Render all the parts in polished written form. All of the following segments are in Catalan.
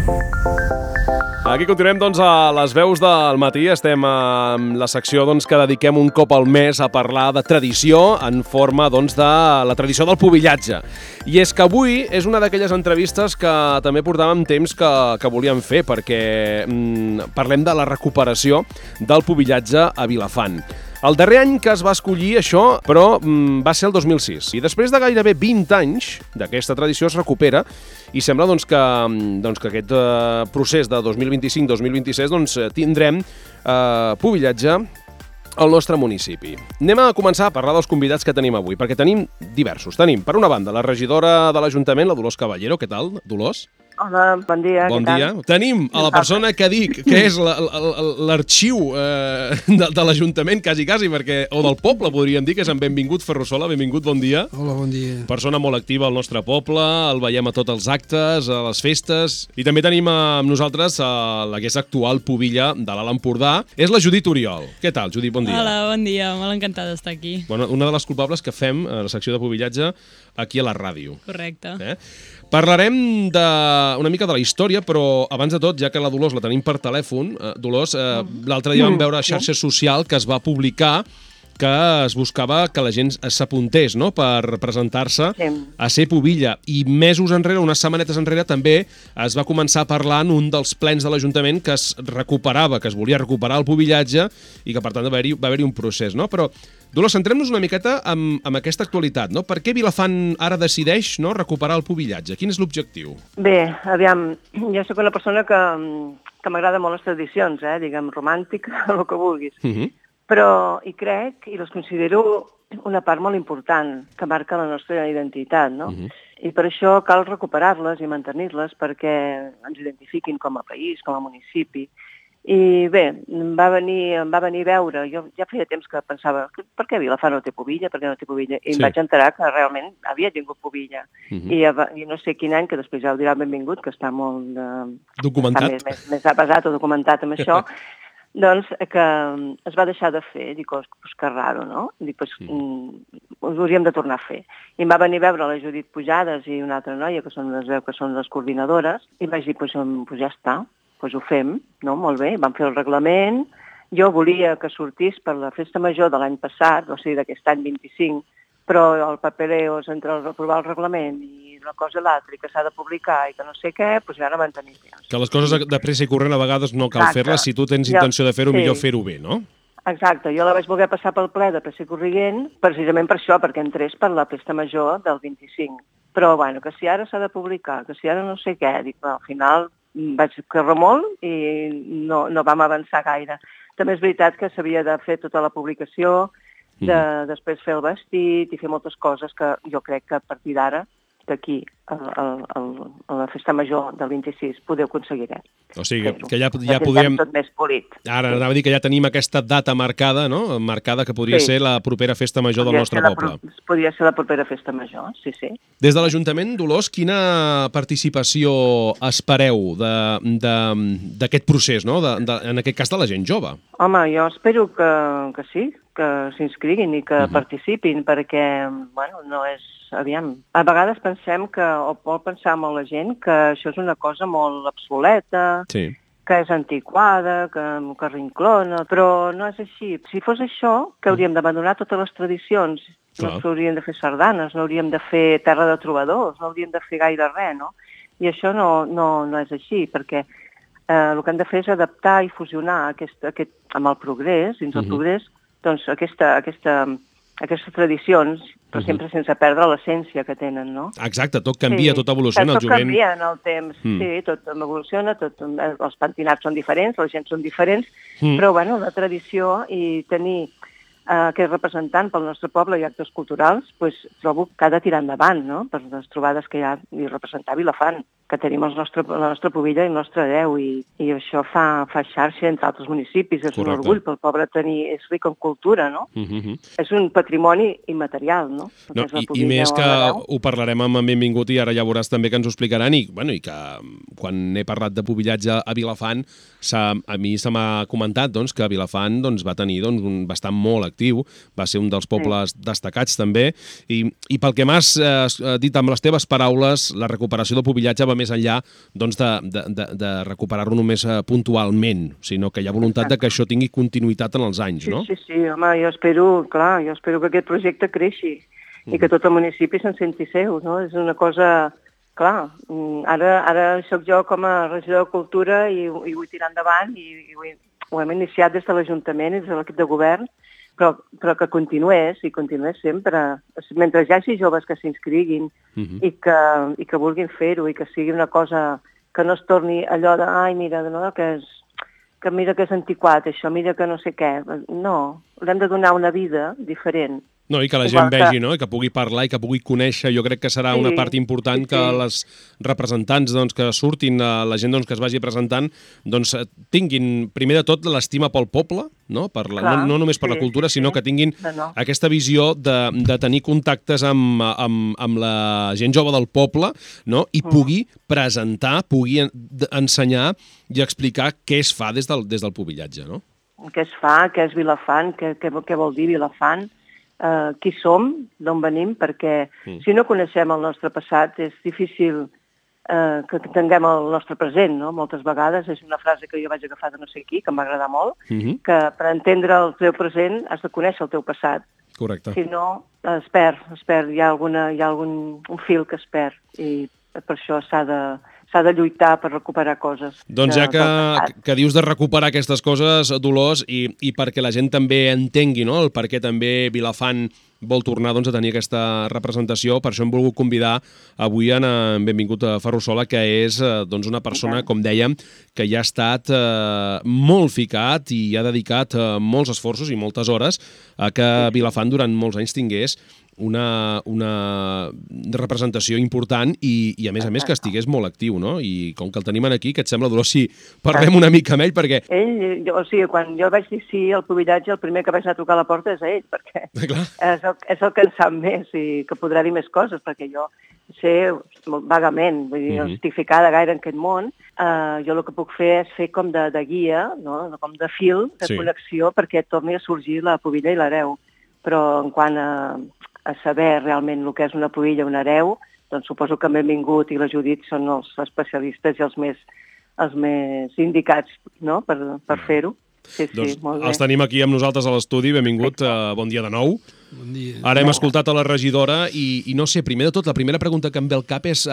Aquí continuem a les veus del matí. Estem en la secció que dediquem un cop al mes a parlar de tradició en forma de la tradició del pubillatge. I és que avui és una d'aquelles entrevistes que també portàvem temps que volíem fer, perquè parlem de la recuperació del pubillatge a Vilafant. El darrer any que es va escollir això, però va ser el 2006. I després de gairebé 20 anys d'aquesta tradició es recupera i sembla que aquest procés de 2025-2026 tindrem pubillatge al nostre municipi. Anem a començar a parlar dels convidats que tenim avui, perquè tenim diversos. Tenim, per una banda, la regidora de l'Ajuntament, la Dolors Caballero. Què tal, Dolors? Hola, bon dia. Bon dia. Tenim a la persona que dic que és l'arxiu de l'Ajuntament, quasi, perquè, o del poble, podríem dir, que és en Benvingut Ferrusola. Benvingut, bon dia. Hola, bon dia. Persona molt activa al nostre poble, el veiem a tots els actes, a les festes. I també tenim amb nosaltres la que és actual pubilla de l'Alt Empordà. És la Judit Oriol. Què tal, Judit? Bon dia. Hola, bon dia. Molt encantada d'estar aquí. Bueno, una de les culpables que fem a la secció de pubillatge aquí a la ràdio. Correcte. Parlarem una mica de la història, però abans de tot, ja que la Dolors la tenim per telèfon, Dolors, l'altre dia vam veure a xarxa social que es va publicar que es buscava que la gent s'apuntés, no?, per presentar-se a ser pubilla. I mesos enrere, unes setmanetes enrere, també es va començar a parlar en un dels plens de l'Ajuntament que es recuperava, que es volia recuperar el pubillatge i que, per tant, va haver-hi un procés, no? Però, Dolors, centrem-nos una miqueta en aquesta actualitat, no? Per què Vilafant ara decideix recuperar el pubillatge? Quin és l'objectiu? Bé, aviam, jo sóc una persona que m'agrada molt les tradicions, diguem, romàntica, el que vulguis. Però hi crec i les considero una part molt important que marca la nostra identitat, no? I per això cal recuperar-les i mantenir-les perquè ens identifiquin com a país, com a municipi. I bé, em va venir a veure, jo ja feia temps que pensava, per què Vilafant no té pubilla, per què no té pubilla? I em vaig enterar que realment havia tingut pubilla. I no sé quin any, que després ja ho dirà Benvingut, que està molt documentat, més avasat o documentat amb això, doncs que es va deixar de fer. Dic, que raro, no? Dic, ho hauríem de tornar a fer. I em va venir a veure la Judit Pujades i una altra noia, que són les coordinadores, i vaig dir, ja està, ho fem, no? Molt bé, vam fer el reglament. Jo volia que sortís per la festa major de l'any passat, o sigui, d'aquest any 25, però el papereo entre aprovar el reglament i una cosa i l'altra, i que s'ha de publicar i que no sé què, doncs ja no van tenir temps. Que les coses de pressa i corrent a vegades no cal fer-les, si tu tens intenció de fer-ho, millor fer-ho bé, no? Exacte, jo la vaig voler passar pel ple de pressa i corrent, precisament per això, perquè entrés per la festa major del 25. Però, bueno, que si ara s'ha de publicar, que si ara no sé què, dic, al final vaig córrer molt i no vam avançar gaire. També és veritat que s'havia de fer tota la publicació, després fer el vestit i fer moltes coses que jo crec que a partir d'ara, d'aquí a la festa major del 26, podeu aconseguir. O sigui, que ja podrem... tot més polit. Ara anava a dir que ja tenim aquesta data marcada, no? Marcada, que podria ser la propera festa major del nostre poble. Podria ser la propera festa major, sí. Des de l'Ajuntament, Dolors, quina participació espereu d'aquest procés, no? En aquest cas de la gent jove? Home, jo espero que sí, que s'inscriguin i que participin, perquè, bueno, no és... Aviam, a vegades pensem o pot pensar molt la gent que això és una cosa molt obsoleta, que és antiquada, que rinclona, però no és així. Si fos això, que hauríem d'abandonar totes les tradicions, no hauríem de fer sardanes, no hauríem de fer terra de trobadors, no hauríem de fer gaire res, no? I això no és així, perquè el que han de fer és adaptar i fusionar amb el progrés, dins el progrés, doncs aquestes tradicions, però sempre sense perdre l'essència que tenen, no? Exacte, tot canvia, tot evoluciona. Tot canvia en el temps, sí, tot evoluciona, els pentinats són diferents, la gent són diferents, però, bueno, la tradició i tenir aquest representant pel nostre poble i actes culturals, trobo que ha de tirar endavant, no?, per les trobades que hi ha i representar Vilafant, que tenim la nostra pubilla i el nostre Déu, i això fa xarxa entre altres municipis, és un orgull pel poble tenir, és ric en cultura, no? És un patrimoni immaterial, no? I més que ho parlarem amb en Benvingut i ara ja veuràs també que ens ho explicaran, i que quan he parlat de pubillatge a Vilafant, a mi se m'ha comentat que Vilafant va tenir un bastant molt actiu, va ser un dels pobles destacats també, i pel que m'has dit amb les teves paraules, la recuperació del pubillatge va més enllà doncs, de recuperar-lo només puntualment, sinó que hi ha voluntat de que això tingui continuïtat en els anys, no? Sí, home, jo espero que aquest projecte creixi i que tot el municipi se'n senti seu, no? És una cosa... Clar, ara sóc jo com a regidor de Cultura i vull tirar endavant i ho hem iniciat des de l'Ajuntament i des de l'equip de govern, però que continués sempre. Mentre hi hagi joves que s'inscriguin i que vulguin fer-ho i que sigui una cosa que no es torni allò de ai, mira, no, que és antiquat això, mira que no sé què. No, l'hem de donar una vida diferent. No, i que la gent vegi, no? I que pugui parlar i que pugui conèixer. Jo crec que serà una part important que les representants que surtin, la gent que es vagi presentant, tinguin, primer de tot, l'estima pel poble, no? No només per la cultura, sinó que tinguin aquesta visió de tenir contactes amb la gent jove del poble, no? I pugui presentar, pugui ensenyar i explicar què es fa des del pubillatge, no? Què es fa, què és Vilafant, què vol dir Vilafant, qui som, d'on venim, perquè si no coneixem el nostre passat és difícil que tinguem el nostre present, no? Moltes vegades és una frase que jo vaig agafar de no sé qui, que em va agradar molt, que per entendre el teu present has de conèixer el teu passat. Correcte. Si no, es perd, hi ha algun fil que es perd i per això s'ha de lluitar per recuperar coses. Doncs ja que dius de recuperar aquestes coses, Dolors, i perquè la gent també entengui, no?, el per què també Vilafant vol tornar a tenir aquesta representació, per això hem volgut convidar avui en Benvingut a Ferrusola, que és una persona, com dèiem, que ja ha estat molt ficat i ha dedicat molts esforços i moltes hores a que Vilafant durant molts anys tingués una representació important i a més que estigués molt actiu, no? I com que el tenim aquí, què et sembla, Dolors, si parlem una mica amb ell, perquè... Quan jo vaig dir sí al pubillatge, el primer que vaig anar a trucar a la porta és a ell, perquè és el que en sap més i que podrà dir més coses, perquè jo sé vagament, vull dir, no estic ficada gaire en aquest món, jo el que puc fer és fer com de guia, no? Com de fil, de connexió, perquè torni a sorgir la pubilla i l'hereu. Però en quant a saber realment el que és una pubilla o un hereu, doncs suposo que Benvingut i la Judit són els especialistes i els més indicats, no?, per fer-ho. Sí, molt bé. Els tenim aquí amb nosaltres a l'estudi. Benvingut, bon dia de nou. Bon dia. Ara hem escoltat a la regidora i no sé, primer de tot, la primera pregunta que em ve al cap és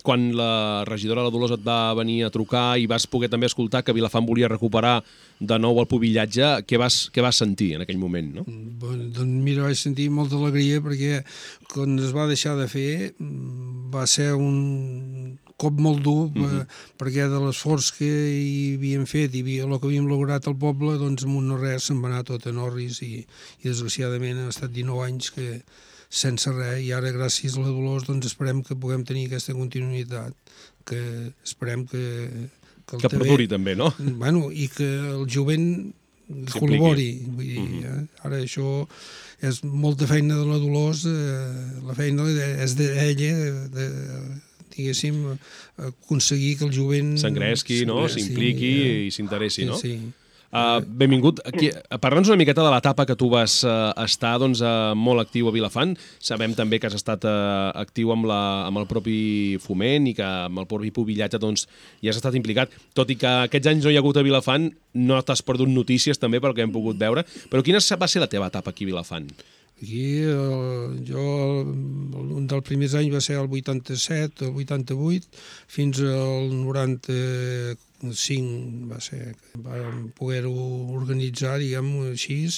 quan la regidora, la Dolors, et va venir a trucar i vas poder també escoltar que Vilafant volia recuperar de nou el pubillatge, què vas sentir en aquell moment, no? Doncs mira, vaig sentir molta alegria perquè quan es va deixar de fer va ser un cop molt dur perquè de l'esforç que hi havíem fet i el que havíem lograt al poble, doncs amb un no res se'n va anar tot en orris i desgraciadament han estat 19 anys que sense res, i ara gràcies a la Dolors doncs esperem que puguem tenir aquesta continuïtat, que esperem que perduri també, no? Bueno, i que el jovent col·labori, vull dir, ara això és molta feina de la Dolors, la feina és d'ella, diguéssim, aconseguir que el jovent... s'engresqui, no?, s'impliqui i s'interessi, no? Sí. Benvingut. Parla'ns una miqueta de l'etapa que tu vas estar molt actiu a Vilafant. Sabem també que has estat actiu amb el propi foment i que amb el propi pubillatge hi has estat implicat. Tot i que aquests anys no hi ha hagut a Vilafant, no t'has perdut notícies també pel que hem pogut veure. Però quina va ser la teva etapa aquí a Vilafant? Aquí, un dels primers anys va ser el 87, el 88, fins al 95 va ser, vam poder-ho organitzar, diguem-ho així,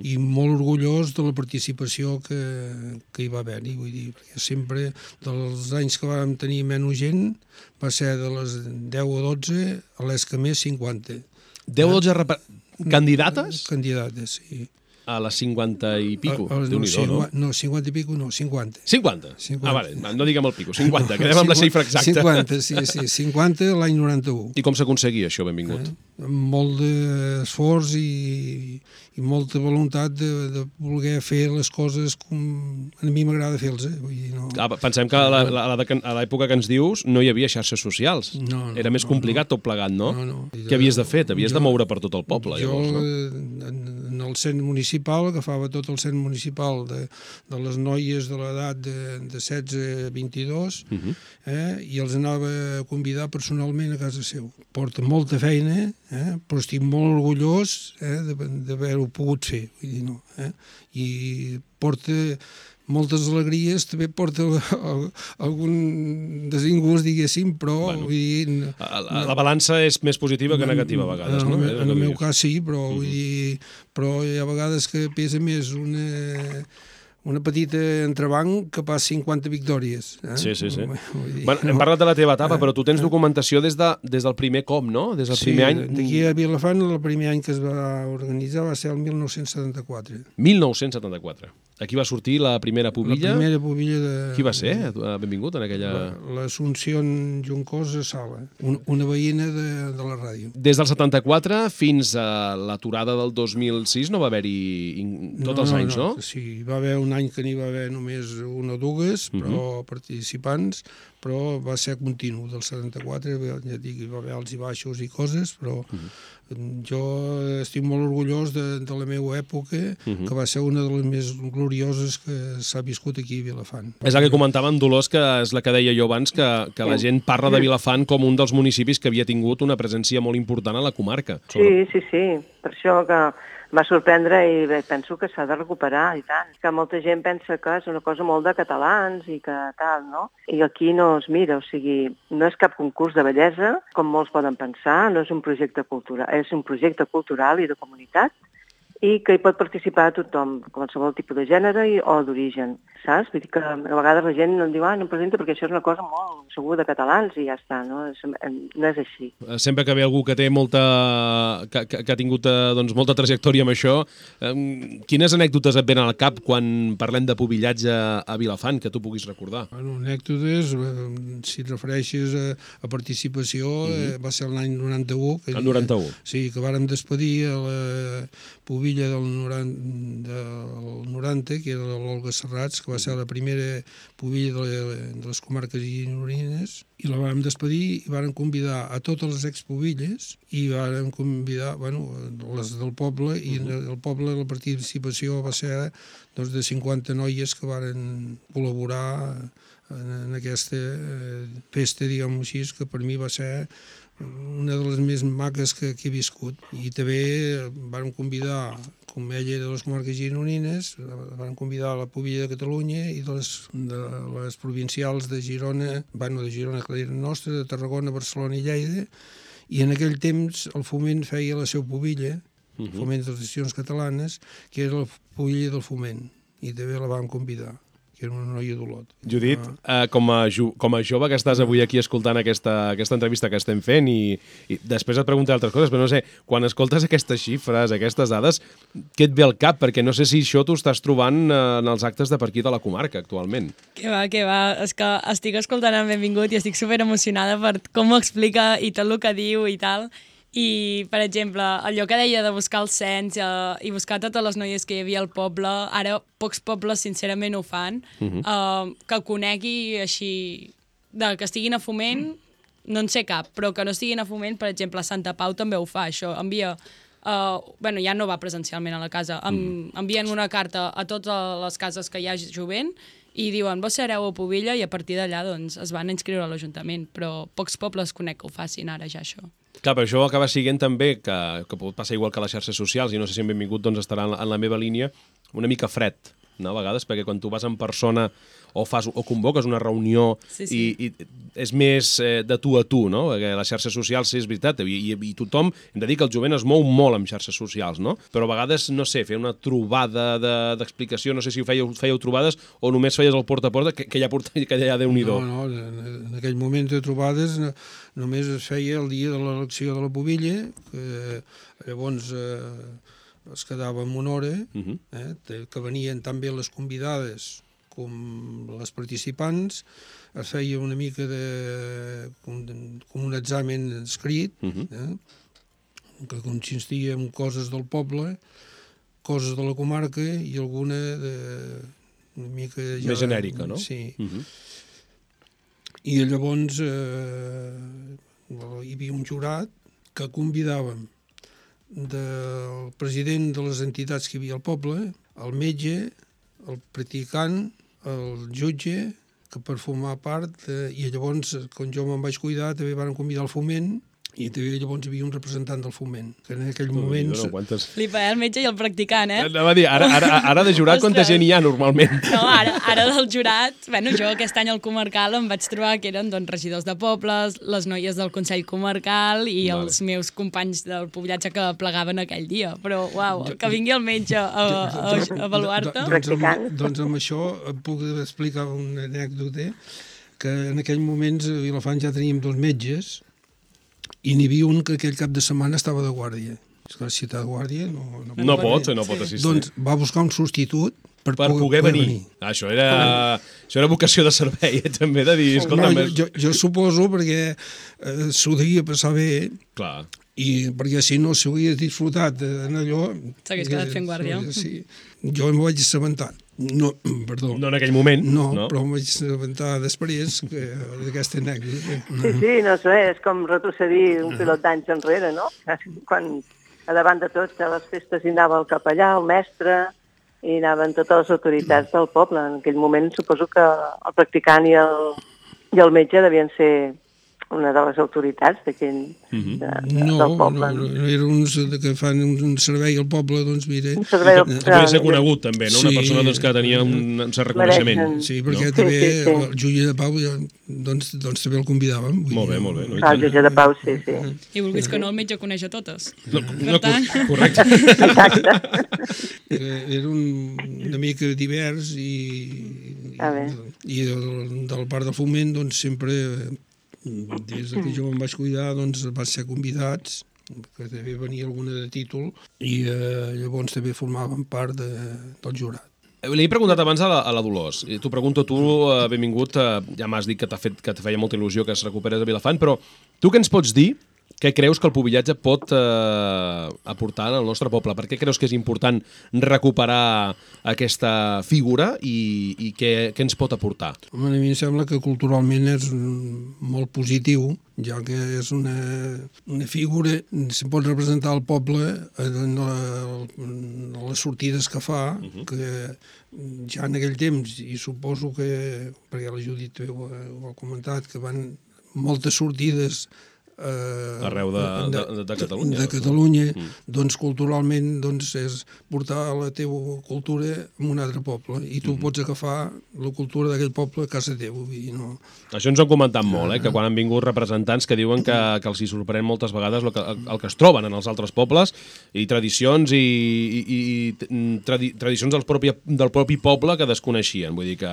i molt orgullós de la participació que hi va haver-hi, vull dir, perquè sempre dels anys que vam tenir menys gent va ser de les 10 o 12 a les que més 50. 10 o 12 candidates? Candidates, sí. A les 50 i pico, Déu-n'hi-do, no? No, 50 i pico no, 50. 50? Ah, vale, no diguem el pico, 50, quedem amb la xifra exacta. 50, sí, 50 l'any 91. I com s'aconseguia això, Benvingut? Molt d'esforç i molta voluntat de voler fer les coses com a mi m'agrada fer-les, vull dir, no... Pensem que a l'època que ens dius no hi havia xarxes socials. Era més complicat tot plegat, no? Què havies de fer? T'havies de moure per tot el poble, llavors, no? En el cens municipal, agafava tot el cens municipal de les noies de l'edat de 16 a 22 i els anava a convidar personalment a casa seu. Porta molta feina, però estic molt orgullós d'haver-ho pogut fer. Vull dir, no, i porta moltes alegries, també porta algun desingust, diguéssim, però... Bueno, vull dir, la balança és més positiva que negativa a vegades, no? En el meu cas sí, però vull dir, però hi ha vegades que pesa més una petita entrebanc que pas 50 victòries. Sí. Bueno, hem parlat de la teva etapa, però tu tens documentació des del primer cop, no? Des del primer any... Sí, d'aquí a Vilafant el primer any que es va organitzar va ser el 1974. 1974. Aquí va sortir la primera pubilla. La primera pubilla de... Qui va ser? Benvingut en aquella... L'Assumpció Juncosa Sala, una veïna de la ràdio. Des del 74 fins a l'aturada del 2006 no va haver-hi tots els anys, no? Sí, va haver un any que n'hi va haver només una o dues, però participants, però va ser continu. Del 74, ja dic, hi va haver alts i baixos i coses, però jo estic molt orgullós de la meva època, que va ser una de les més glorioses que s'ha viscut aquí a Vilafant. És el que comentava en Dolors, que és la que deia jo abans, que la gent parla de Vilafant com un dels municipis que havia tingut una presència molt important a la comarca. Sí. Per això que va sorprendre i penso que s'ha de recuperar, i tant. Que molta gent pensa que és una cosa molt de catalans i que tal, no? I aquí no es mira, o sigui, no és cap concurs de bellesa, com molts poden pensar, no és un projecte cultural, és un projecte cultural i de comunitat, i que hi pot participar tothom, qualsevol tipus de gènere o d'origen, saps? Vull dir que a vegades la gent no em diu no em presenta perquè això és una cosa molt segur de catalans i ja està, no és així. Sempre que ve algú que té que ha tingut molta trajectòria amb això, quines anècdotes et venen al cap quan parlem de pubillatge a Vilafant, que tu puguis recordar? Bueno, anècdotes, si et refereixes a participació, va ser l'any 91. El 91. Sí, que vàrem despedir a la pubilla del 90, que era l'Olga Serrats, que va ser la primera pubilla de les comarques gironines, i la vam despedir i varen convidar a totes les expubilles i varen convidar, les del poble, i el poble la participació va ser de 50 noies que varen col·laborar en aquesta festa, diguem-ho així, que per mi va ser una de les més maques que he viscut. I també vam convidar, com ella era de les comarques gironines, vam convidar la pubilla de Catalunya i de les provincials de Girona, de Girona, que eren nostres, de Tarragona, Barcelona i Lleida, i en aquell temps el Foment feia la seva pubilla, el Foment de les Edicions Catalanes, que era la pubilla del Foment, i també la vam convidar, que era una noia d'Olot. Judit, com a jove que estàs avui aquí escoltant aquesta entrevista que estem fent i després et preguntaré altres coses, però no sé, quan escoltes aquestes xifres, aquestes dades, què et ve al cap? Perquè no sé si això t'ho estàs trobant en els actes de per aquí de la comarca actualment. Que va. És que estic escoltant en Benvingut i estic super emocionada per com ho explica i tot el que diu i tal. I, per exemple, allò que deia de buscar el cens i buscar totes les noies que hi havia al poble, ara pocs pobles sincerament ho fan, que conegui així, que estiguin a Foment, no en sé cap, però que no estiguin a Foment, per exemple, Santa Pau també ho fa, això, envia, ja no va presencialment a la casa, envien una carta a totes les cases que hi ha jovent i diuen, vos sereu a Pubilla, i a partir d'allà doncs, es van inscriure a l'Ajuntament, però pocs pobles conec que ho facin ara ja, això. Clar, però això acaba sent també, que pot passar igual que a les xarxes socials, i no sé si en Benvingut doncs, estarà en la meva línia, una mica fred, no? A vegades, perquè quan tu vas en persona o convoques una reunió i és més de tu a tu, no? Perquè les xarxes socials, sí, és veritat, i tothom, hem de dir que el jovent es mou molt amb xarxes socials, no? Però a vegades, no sé, fer una trobada d'explicació, no sé si fèieu trobades o només feies el porta a porta, que ja Déu-n'hi-do. No, en aquell moment de trobades només es feia el dia de l'elecció de la pubilla, que llavors es quedava en una hora, que venien tan bé les convidades com les participants, es feia una mica com un examen escrit, que consistia en coses del poble, coses de la comarca i alguna una mica... Més genèrica, no? Sí. I llavors hi havia un jurat que convidàvem del president de les entitats que hi havia al poble, el metge, el practicant, el jutge, que per formar part, i llavors, quan jo me'n vaig cuidar, també van convidar el foment, i també llavors hi havia un representant del foment, que en aquell moment... Flipa, el metge i el practicant, Anava a dir, ara de jurat quanta gent hi ha normalment? No, ara del jurat, bueno, jo aquest any al comarcal em vaig trobar que eren doncs, regidors de pobles, les noies del Consell Comarcal i els meus companys del pobillatge que plegaven aquell dia. Però, uau, que vingui el metge a avaluar-te... Doncs amb això puc explicar una anècdota, que en aquell moment a Vilafant ja teníem 2 metges, i n'hi havia un que aquell cap de setmana estava de guàrdia. És que si està de guàrdia no pot assistir. Doncs va buscar un substitut per poder venir. Això era vocació de servei, també, de dir... Jo suposo perquè s'ho devia passar bé. Clar. I perquè si no s'ho hagués disfrutat en allò... S'hagués quedat fent guàrdia. Sí. Jo em vaig assabentar. No, perdó. No en aquell moment. No, però em vaig assabentar després d'aquesta anècdota. Sí, no sé, és com retrocedir un pilot d'anys enrere, no? Quan a davant de tots a les festes hi anava el capellà, el mestre, i anaven totes les autoritats del poble. En aquell moment suposo que el practicant i el metge devien ser una de les autoritats d'aquell del poble. No, eren uns que fan un servei al poble, doncs mira... Un servei al poble. Podria ser conegut, també, no? Una persona doncs, que tenia un cert reconeixement. Sí, perquè també el jutge de Pau doncs també el convidàvem. Molt bé. El jutge de Pau, sí. I vulguis que no, el metge coneix a totes. Correcte. Exacte. Era una mica divers i del part del foment doncs sempre... Des que jo em vaig cuidar, doncs vaig ser convidats, que també venia alguna de títol, i llavors també formaven part del jurat. Li he preguntat abans a la Dolors, i t'ho pregunto tu, benvingut, ja m'has dit que te feia molta il·lusió que es recuperes a Vilafant, però tu què ens pots dir? Què creus que el pubillatge pot aportar al nostre poble? Per què creus que és important recuperar aquesta figura i què ens pot aportar? A mi em sembla que culturalment és molt positiu, ja que és una figura, se pot representar el poble en les sortides que fa, que ja en aquell temps, i suposo que, perquè la Judit ho ha comentat, que van moltes sortides arreu de Catalunya. De Catalunya, doncs culturalment doncs, és portar la teva cultura a un altre poble i tu pots agafar la cultura d'aquell poble a casa teva. No? Això ens ho han comentat molt, que quan han vingut representants que diuen que els hi sorprèn moltes vegades el que es troben en els altres pobles i tradicions tradicions del propi poble que desconeixien. Vull dir que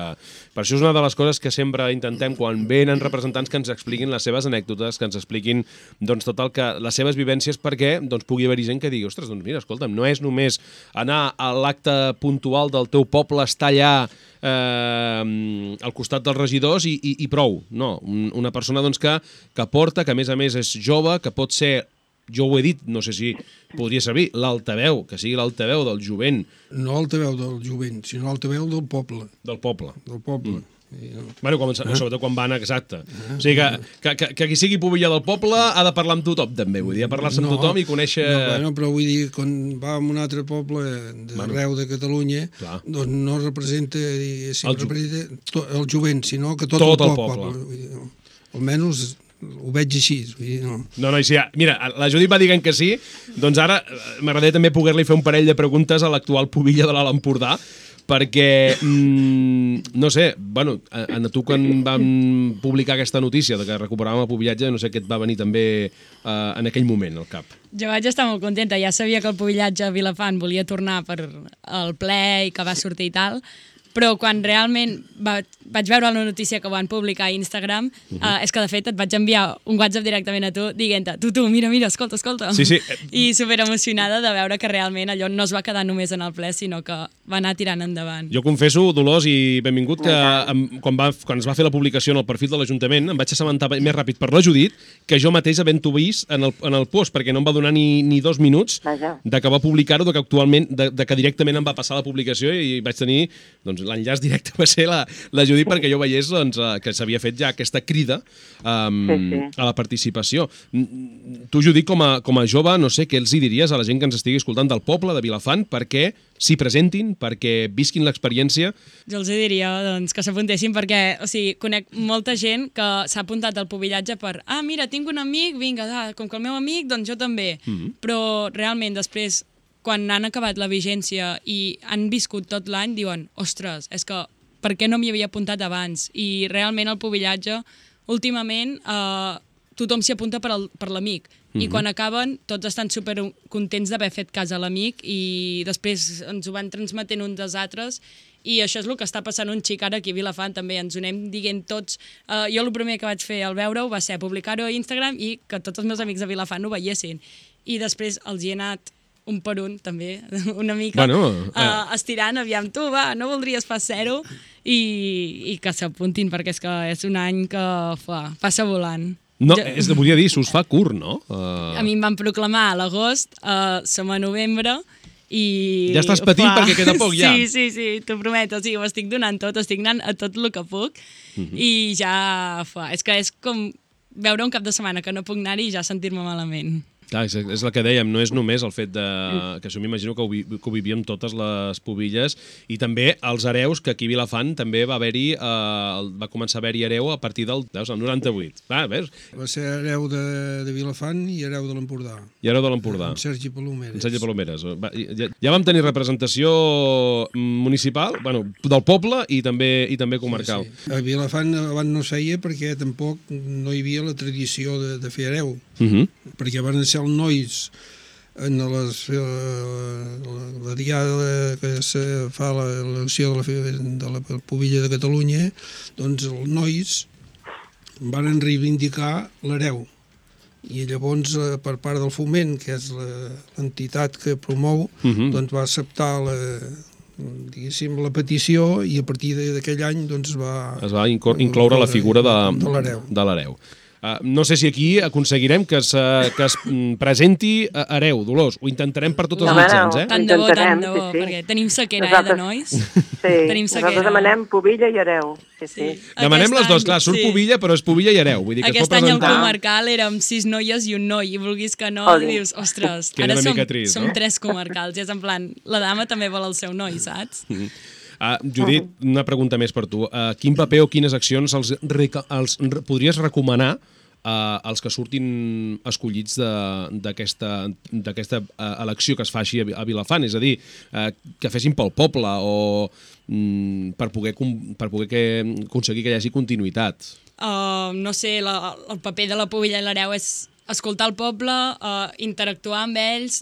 per això és una de les coses que sempre intentem quan venen representants que ens expliquin les seves anècdotes, que ens expliquin doncs, tot el que, les seves vivències perquè doncs, pugui haver-hi gent que digui ostres, doncs mira, escolta'm, no és només anar a l'acte puntual del teu poble, estar allà al costat dels regidors i prou. No, una persona doncs, que porta, que a més és jove, que pot ser, jo ho he dit, no sé si podria servir, l'altaveu, que sigui l'altaveu del jovent. No l'altaveu del jovent, sinó l'altaveu del poble. Del poble. Del poble. Bueno, sobretot quan van, exacte. O sigui que qui sigui pubilla del poble ha de parlar amb tothom, també. Vull dir, parlar-se amb tothom i conèixer... No, però vull dir, quan va a un altre poble d'arreu de Catalunya, doncs no representa el jovent, sinó que tot el poble. Almenys ho veig així. No, sí, mira, la Judit va dient que sí, doncs ara m'agradaria també poder-li fer un parell de preguntes a l'actual pubilla de l'Alt Empordà, perquè, no sé, bueno, a tu quan vam publicar aquesta notícia de que recuperàvem el pubillatge, no sé què et va venir també en aquell moment al cap. Jo vaig estar molt contenta, ja sabia que el pubillatge a Vilafant volia tornar per al ple i que va sortir i tal, però quan realment vaig veure la notícia que ho van publicar a Instagram, és que de fet et vaig enviar un WhatsApp directament a tu dient-te, tu, mira, escolta. Sí. I super emocionada de veure que realment allò no es va quedar només en el ple, sinó que va anar tirant endavant. Jo confesso, Dolors, i benvingut, que quan es va fer la publicació en el perfil de l'Ajuntament em vaig assabentar més ràpid per la Judit que jo mateix havent-ho vist en el post, perquè no em va donar ni 2 minuts de que va publicar-ho, de que actualment, de que directament em va passar la publicació i vaig tenir, doncs, doncs, l'enllaç directe va ser la Judit perquè jo veiés doncs, que s'havia fet ja aquesta crida a la participació. Tu, Judit, com a jove, no sé, què els hi diries a la gent que ens estigui escoltant del poble de Vilafant perquè s'hi presentin, perquè visquin l'experiència? Jo els diria doncs, que s'apuntessin perquè, o sigui, conec molta gent que s'ha apuntat al pubillatge per mira, tinc un amic, vinga, com que el meu amic, doncs jo també. Però realment després, quan han acabat la vigència i han viscut tot l'any, diuen, ostres, és que per què no m'hi havia apuntat abans? I realment el pubillatge, últimament, tothom s'hi apunta per l'amic. I quan acaben, tots estan supercontents d'haver fet cas a l'amic i després ens ho van transmetent uns dels altres i això és el que està passant un xic ara aquí a Vilafant també, ens ho anem dient tots. Jo el primer que vaig fer al veure-ho va ser publicar-ho a Instagram i que tots els meus amics de Vilafant ho veiessin. I després els hi he anat un per un, també, una mica, estirant, aviam, tu, va, no voldries pas ser-ho? I que s'apuntin, perquè és que és un any que passa volant. No, volia dir, s'us fa curt, no? A mi em van proclamar a l'agost, som a novembre, i... Ja estàs patint perquè queda poc, ja. Sí, t'ho prometo, sí, ho estic donant tot, estic anant a tot el que puc, i ja, és que és com veure un cap de setmana que no puc anar-hi i ja sentir-me malament. Clar, és el que dèiem, no és només el fet que això m'imagino que ho vivíem totes les pubilles i també els hereus, que aquí a Vilafant també va començar a haver-hi hereu a partir del 98. Veus? Va ser hereu de Vilafant i hereu de l'Empordà. I hereu de l'Empordà. Amb Sergi Palomeres. Sergi Palomeres. Ja vam tenir representació municipal, del poble i també comarcal. Sí. A Vilafant abans no es feia perquè tampoc no hi havia la tradició de fer hereu. Perquè van ser els nois en la diada que se fa l'elecció de la Pubilla de Catalunya, doncs els nois van reivindicar l'hereu. I llavors, per part del Foment, que és l'entitat que promou, doncs va acceptar la petició i a partir d'aquell any doncs es va incloure la figura de l'hereu. No sé si aquí aconseguirem que es presenti hereu, Dolors. Ho intentarem per tots els mitjans, Tant de bo, perquè tenim sequera, de nois. Sí, nosaltres demanem pubilla i hereu. Sí. Demanem les dues, clar, surt pubilla, però és pubilla i hereu. Vull dir que aquest any al comarcal érem 6 noies i un noi, i vulguis que no, dius, ostres, ara som 3 comarcals, i és en plan, la dama també vol el seu noi, saps? Judit, una pregunta més per tu. Quin paper o quines accions els podries recomanar als que surtin escollits d'aquesta elecció que es faci a Vilafant? És a dir, que fessin pel poble o per poder aconseguir que hi hagi continuïtat? No sé, el paper de la Pubilla i l'hereu és escoltar el poble, interactuar amb ells,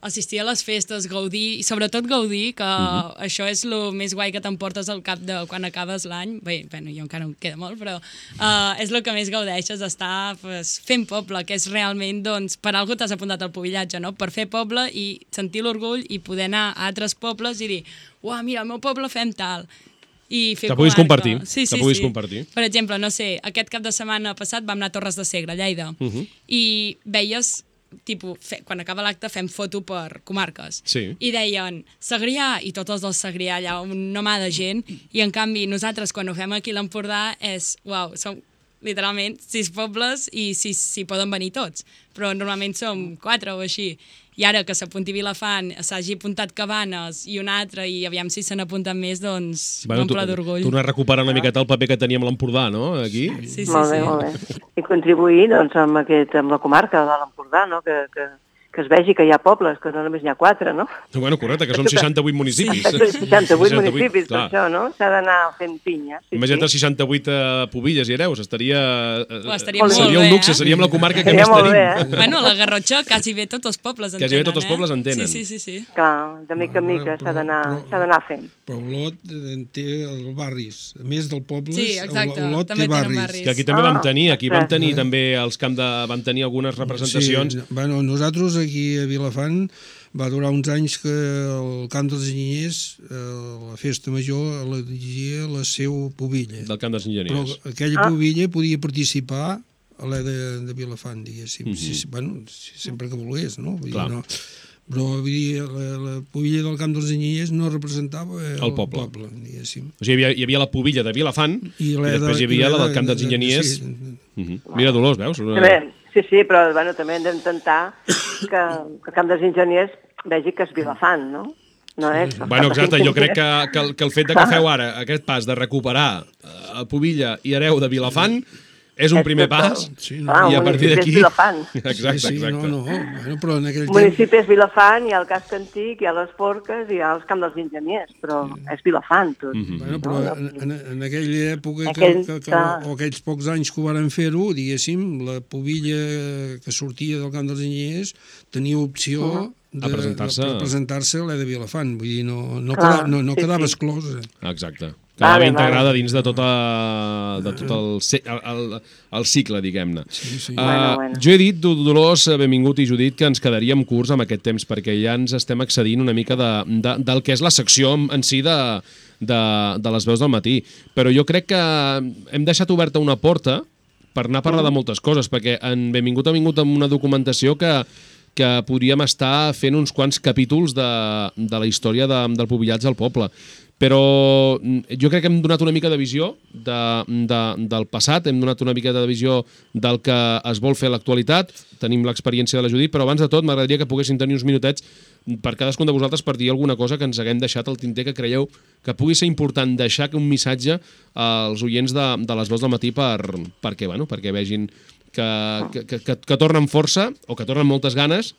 assistir a les festes, gaudir, i sobretot gaudir, que això és el més guai que t'emportes al cap de quan acabes l'any. Bé, jo encara em queda molt, però és el que més gaudeixes, estar fent poble, que és realment, doncs, per algú t'has apuntat al pubillatge, no? Per fer poble i sentir l'orgull i poder anar a altres pobles i dir, uah, mira, al meu poble fem tal. Que puguis compartir. Sí. Compartir. Per exemple, no sé, aquest cap de setmana passat vam anar a Torres de Segre, a Lleida, i veies, quan acaba l'acte fem foto per comarques, i deien Segrià, i tots els del Segrià allà, una mà de gent, i en canvi nosaltres quan ho fem aquí a l'Empordà és, uau, som literalment 6 pobles i s'hi poden venir tots, però normalment som 4 o així. I ara que s'apunti Vilafant, s'hagi apuntat Cabanes i un altre, i aviam si se n'apunten més, doncs m'omple d'orgull. Tornar a recuperar una miqueta el paper que teníem a l'Empordà, no? Aquí? Sí. Molt bé. I contribuir doncs, amb la comarca de l'Empordà, no? Que es vegi que hi ha pobles, que no només n'hi ha 4, no? Bueno, correcte, que som 68 municipis. 68 municipis, per això, no? S'ha d'anar fent pinya. Imagina't 68 pubilles i hereus, seria un luxe, seríem la comarca que més tenim. Bueno, la Garrotxa quasi bé tots els pobles en tenen. Quasi bé tots els pobles en tenen. Sí. Clar, de mica en mica s'ha d'anar fent. Però Olot té els barris, a més del poble, Olot té barris. Que aquí també vam tenir, també els vam tenir algunes representacions. Bueno, nosaltres aquí a Vilafant va durar uns anys que el Camp dels Enginyers, la festa major, la dirigia la seu pubilla. Del Camp dels Enginyers. Però aquella pubilla podia participar a l'E de Vilafant, diguéssim. Bueno, sempre que volgués, no? però vull dir, la pubilla del Camp dels Anyelles no representava el poble. diguéssim. O sigui, hi havia la pubilla de Vilafant i després hi havia la del Camp dels Enginyers. Mira, Dolors, veus? Sí, però bueno, també hem d'intentar que el Camp dels Enginyers vegi que és Vilafant, no? No és... Bueno, exacte, jo crec que el fet de que feu ara aquest pas de recuperar Pubilla i Hereu de Vilafant és un primer pas, i a partir d'aquí... Exacte. No, bueno, però en aquell temps... El municipi és Vilafant, hi ha el casc antic, hi ha les forques, hi ha els Camps dels Enginyers, però és Vilafant, tot. Bueno, però en aquella època, o aquells pocs anys que ho varen fer-ho, diguéssim, la pubilla que sortia del Camp dels Enginyers tenia opció de presentar-se a l'E de Vilafant, vull dir, no quedava exclosa. Exacte. Quedava integrada dins de tot el cicle, diguem-ne. Jo he dit, Dolors, benvingut, i Judit, que ens quedaríem curts amb aquest temps, perquè ja ens estem accedint una mica del que és la secció en si de les veus del matí. Però jo crec que hem deixat oberta una porta per anar a parlar de moltes coses, perquè en Benvingut ha vingut amb una documentació que podríem estar fent uns quants capítols de la història del pubillatge al poble. Però jo crec que hem donat una mica de visió del passat, hem donat una mica de visió del que es vol fer a l'actualitat, tenim l'experiència de la Judit, però abans de tot m'agradaria que poguessin tenir uns minutets per cadascun de vosaltres per dir alguna cosa que ens haguem deixat al tinter que creieu que pugui ser important deixar un missatge als oients de les veus del matí perquè vegin que tornen força o que tornen moltes ganes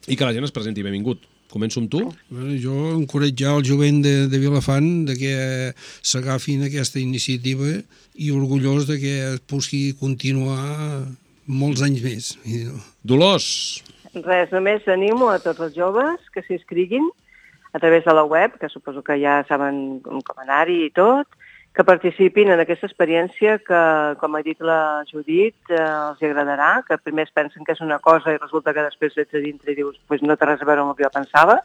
i que la gent es presenti. Benvingut. Començo amb tu. Bueno, jo encoratjar el jovent de Vilafant que s'agafin aquesta iniciativa i orgullós de que es pugui continuar molts anys més. Dolors. Res, només animo a tots els joves que s'inscriguin a través de la web, que suposo que ja saben com anar-hi i tot, que participin en aquesta experiència que, com ha dit la Judit, els agradarà, que primer es pensen que és una cosa i resulta que després ets a dintre i dius pues no té res a veure amb el que jo pensava.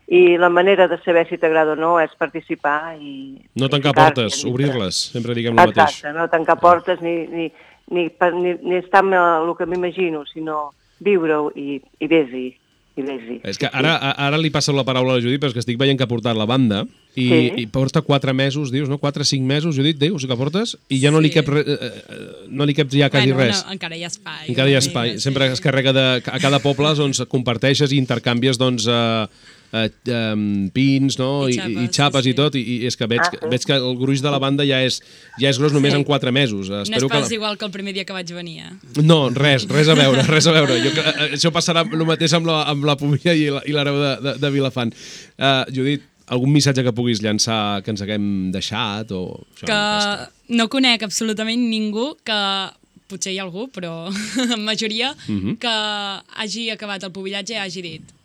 I la manera de saber si t'agrada o no és participar i... No tancar portes, obrir-les, sempre diguem el mateix. Exacte, no tancar portes ni estar amb el que m'imagino, sinó viure-ho i vés-hi. És que ara li passo la paraula a la Judit, però és que estic veient que ha portat la banda i porta 4 mesos, dius, no? 4 o 5 mesos, Judit, dius que portes, i ja no li cap ja quasi res. Encara hi ha espai. Encara hi ha espai. Sempre es carrega a cada poble, doncs, comparteixes i intercanvies, doncs, pins, no? I xapes i tot, i és que veig que el gruix de la banda ja és gros només en 4 mesos. No és pas igual que el primer dia que vaig venir. No, res a veure. Això passarà el mateix amb la Pubilla i l'Hereu de Vilafant. Judit, algun missatge que puguis llançar que ens haguem deixat? Que no conec absolutament ningú que... Potser hi ha algú, però en majoria, que hagi acabat el pubillatge i hagi dit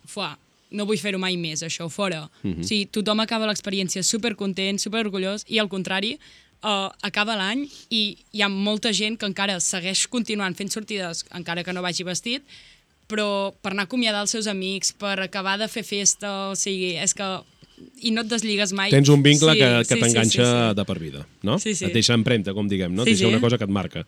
no vull fer-ho mai més, això, fora. O sigui, tothom acaba l'experiència supercontent, superorgullós, i al contrari, acaba l'any i hi ha molta gent que encara segueix continuant fent sortides, encara que no vagi vestit, però per anar a acomiadar els seus amics, per acabar de fer festa, o sigui, és que... I no et desligues mai. Tens un vincle que t'enganxa de per vida, no? Sí. Et deixa empremta, com diguem, no? Et deixa una cosa que et marca.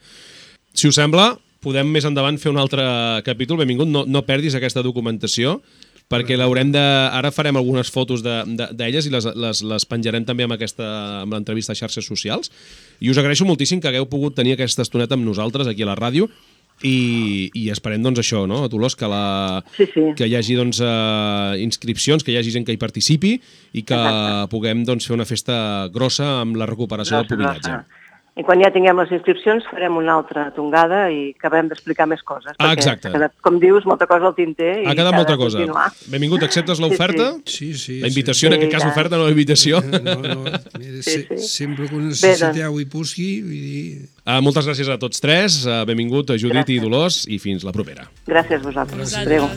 Si us sembla, podem més endavant fer un altre capítol. Benvingut, no perdis aquesta documentació, perquè l'haurem de... Ara farem algunes fotos d'elles i les penjarem també amb l'entrevista a xarxes socials. I us agraeixo moltíssim que hagueu pogut tenir aquesta estoneta amb nosaltres aquí a la ràdio i esperem, doncs, això, no? Dolors, que hi hagi, doncs, inscripcions, que hi hagi gent que hi participi i que puguem, doncs, fer una festa grossa amb la recuperació del pubillatge. I quan ja tinguem les inscripcions farem una altra tongada i acabem d'explicar més coses. Exacte. Perquè, com dius, molta cosa al tinter i ha quedat molta cosa. Benvingut, acceptes l'oferta? Sí. La invitació, en aquest cas oferta, no la invitació. No. Sempre que ho necessiteu i pugui, vull dir... Moltes gràcies a tots tres. Benvingut, Judit i Dolors, i fins la propera. Gràcies a vosaltres. Adéu.